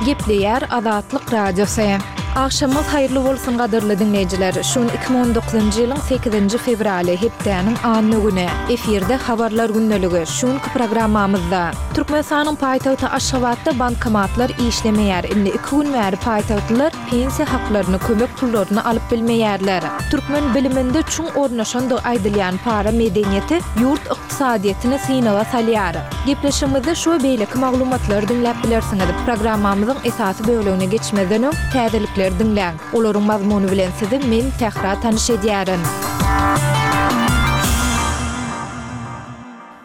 Gepleýär Azatlyk Radiosy. Agşamyňyz haýyrly bolsun gadyrly diňleýjiler! Şu gün 2019-njy ýylyň sekizinji fewraly, hepdäniň anna güni. Efirde Habarlar gündeligi. Şu günki programmamyzda. Türkmenistanyň paýtagty Aşgabatda bankomatlar işlemeýär. Indi iki gün bäri paýtagtlylar pensiýa haklaryny, kömek pullaryny alyp bilmeýärler. Türkmen biliminde çuň ornaşandygy aýdylýan para medeniýeti ýurt ykdysadyýetini synaga salýar. Gepleşigimizde şu we beýleki maglumatlary diňläp bilersiňiz. Programmamyzyň esasy bölegine geçmezden öň, täzelikleri diňläň. Olaryň mazmuny bilen sizi men, Sähra tanyş edýärin.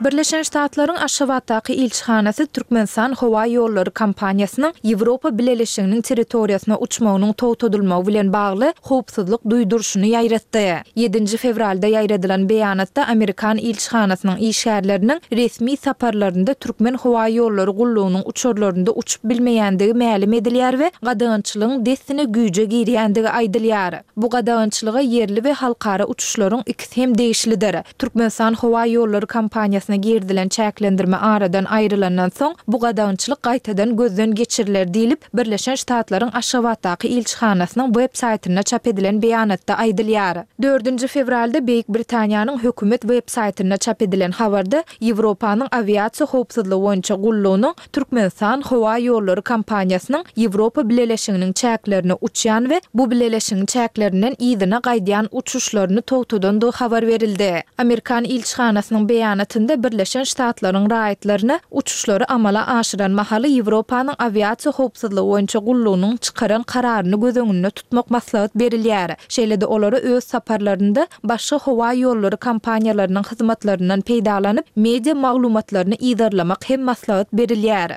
Birleşen Ştatlaryň Aşgabatdaky ilçihanasy Türkmenistan howa ýollary kompaniýasynyň Ýewropa Bileleşiginiň territoriýasyna uçmagynyň togtadylmagy bilen bagly howpsuzlyk duýduryşyny ýaýratdy. Ýedinji fewralda ýaýradylan beýanatda amerikan ilçihanasynyň işgärleriniň resmi saparlarynda Türkmen howa ýollary gullugynyň uçarlarynda uçup bilmeýändigi mälim edilýär we gadagançylygyň dessine güýje girýändigi aýdylýar. Bu gadagançylyga ýerli we halkara uçuşlaryň ikisi hem degişlidir. Türkmenistan howa ýollary kompaniýasyna girizilen çäklendirme aradan aýrylandan soň, bu gadagançylyk gaýtadan gözden geçiriler diýlip, Birleşen Ştatlaryň Aşgabatdaky ilçihanasynyň web saýtynda çap edilen beýanatda aýdylýar. Dördünji fewralda Beýik Britaniýanyň hökümet web saýtynda çap edilen habarda Ýewropanyň awiasiýa howpsuzlygy boýunça gullugynyň Türkmenistan howa ýollary kompaniýasynyň Ýewropa Bileleşiginiň çäklerine uçýan we bu bileleşigiň çäklerinden yzyna gaýdýan uçuşlaryny togtadandygy habar berildi. Amerikan ilçihanasynyň beýanatynda Birleşen Ştatlaryň raýatlaryna uçuşlary amala aşyran mahaly Ýewropanyň awiasiýa howpsuzlygy boýunça gullugynyň çykaran kararyny göz öňünde tutmak maslahat berilýär. Şeýle-de olara öz saparlarynda başga howa ýollary kompaniýalarynyň hyzmatlaryndan peýdalanyp, media maglumatlaryny yzarlamak hem maslahat berilýär.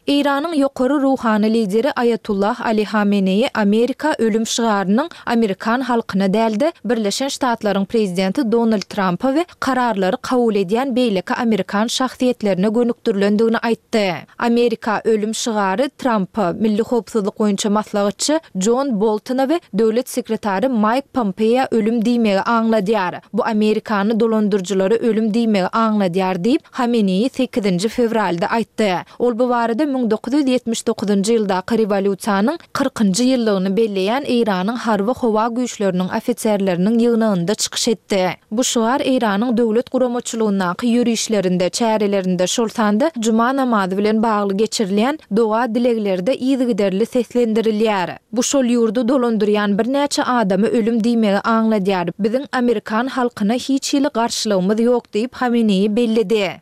Eýranyň ýokary ruhany lideri Aýatullah Ali Hameneýi Amerika ölüm şygarynyň amerikan halkyna däl-de, Birleşen Ştatlaryň prezidenti Donald Trampa we kararlary kabul edýän beýleki amerikan şahsyýetlerine gönükdirilendigini aýtdy. Amerika ölüm şygary Trampa, milli howpsuzlyk boýunça maslahatçy Jon Boltona we döwlet sekretary Maýk Pompeoa ölüm diýmegi aňladýar. Bu Amerikany dolandyryjylara ölüm diýmegi aňladýar diýip, Hameneýi sekizinji fewralda aýtdy. Ol bu barada 1979-njy ýyldaky rewolýusiýanyň kyrkynjy ýyllygyny belleýän Eýranyň harby-howa güýçleriniň ofiserleriniň ýygnagynda çykyş etdi. Bu şygar Eýranyň döwlet guramaçylygyndaky ýörişlerinde, çärelerinde, şol sanda juma namazy bilen bagly geçirilýän doga-dileglerde yzygiderli seslendirilýär. Bu şol ýurdy dolandyrýan birnäçe adama ölüm diýmegi aňladýar. Biziň amerikan halkyna hiç hili garşylygymyz ýok diýip, Hameneýi belledi.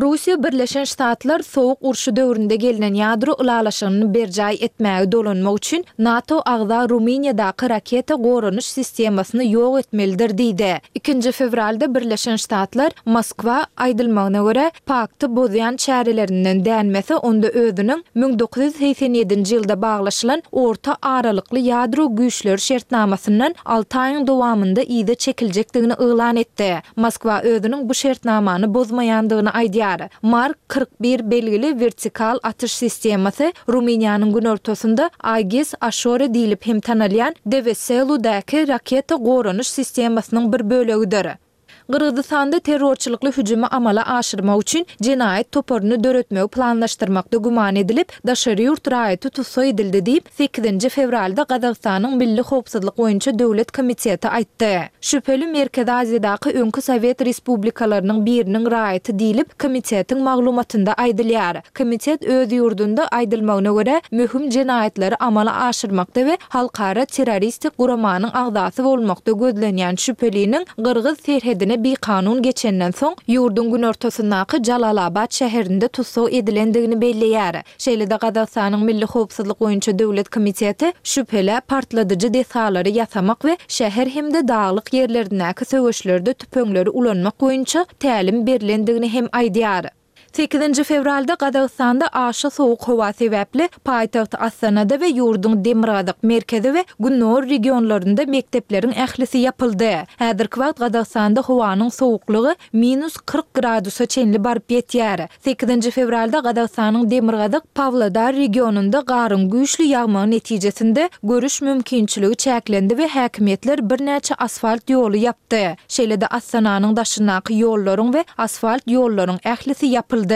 Russiýa Birleşen Ştatlar Sowuk urşy döwründe gelnen ýadro ylalaşygyny berjaý etmäge dolanmak üçin NATO agza Rumyniýadaky raketa goranyş sistemasyny ýok etmelidir diýdi. Ikinji fewralda Birleşen Ştatlar Moskwa, aýdylmagyna görä, pakty bozýan çärelerinden dänmese, onda özüniň 1987-nji ýylda baglaşylan Orta aralykly ýadro güýçleri şertnamasyndan alty aýyň dowamynda yza çekiljekdigini yglan etdi. Moskwa özüniň bu şertnamany bozmaýandygyny aýdýar. Mark 41 belgili wertikal atyş sistemasy Rumyniýanyň günortasynda Aegis Ashore diýlip hem tanalýan Deweseludäki raketa goranyş sistemasynyň bir bölegidir. Gyrgyzystanda terrorçylykly hüjümi amala aşyrmak üçin jenaýat toparyny döretmegi planlaşdyrmakda güman edilip, daşary ýurt raýaty tussag edildi diýip, sekizinji fewralda Gazagystanyň Milli howpsuzlyk boýunça döwlet komiteti aýtdy. Şübheli Merkezi Aziýadaky öňki sowet respublikalarynyň biriniň raýaty diýlip, komitetiň maglumatynda aýdylýar. Komitet öz ýurdunda, aýdylmagyna görä, möhüm jenaýatlary amala aşyrmakda we halkara terroristik guramanyň agzasy bolmakda gözlenýän şübheliniň gyrgyz serhedine bikanun geçenden soň, ýurduň günortasyndaky Jalalabat şäherinde tussag edilendigini belleýär. Şeýle-de Gazagystanyň Milli howpsuzlyk boýunça döwlet komiteti şübhelä partladyjy desgalary ýasamak we şäher hem-de daglyk ýerlerindäki söweşlerde tüpeňleri ulanmak boýunça tälim berlendigini hem aýdýar. Sekizinji fewralda Gazagystanda aşa sowuk howa sebäpli paýtagt Astanada we ýurduň demirgazyk, merkezi we gündogar regionlarynda mekdepleriň ählisi ýapyldy. Häzirki wagt Gazagystanda howanyň sowuklygy minus 40 gradusa çenli baryp ýetýär. Sekizinji fewralda Gazagystanyň demirgazyk Pawlodar regionynda garyň güýçli ýagmagy netijesinde görüş mümkinçiligi çäklendi we häkimiýetler birnäçe asfalt ýoly ýapdy. Şeýle-de Astananyň daşyndaky ýollaryň we asfalt ýollaryň ählisi ýapyldy.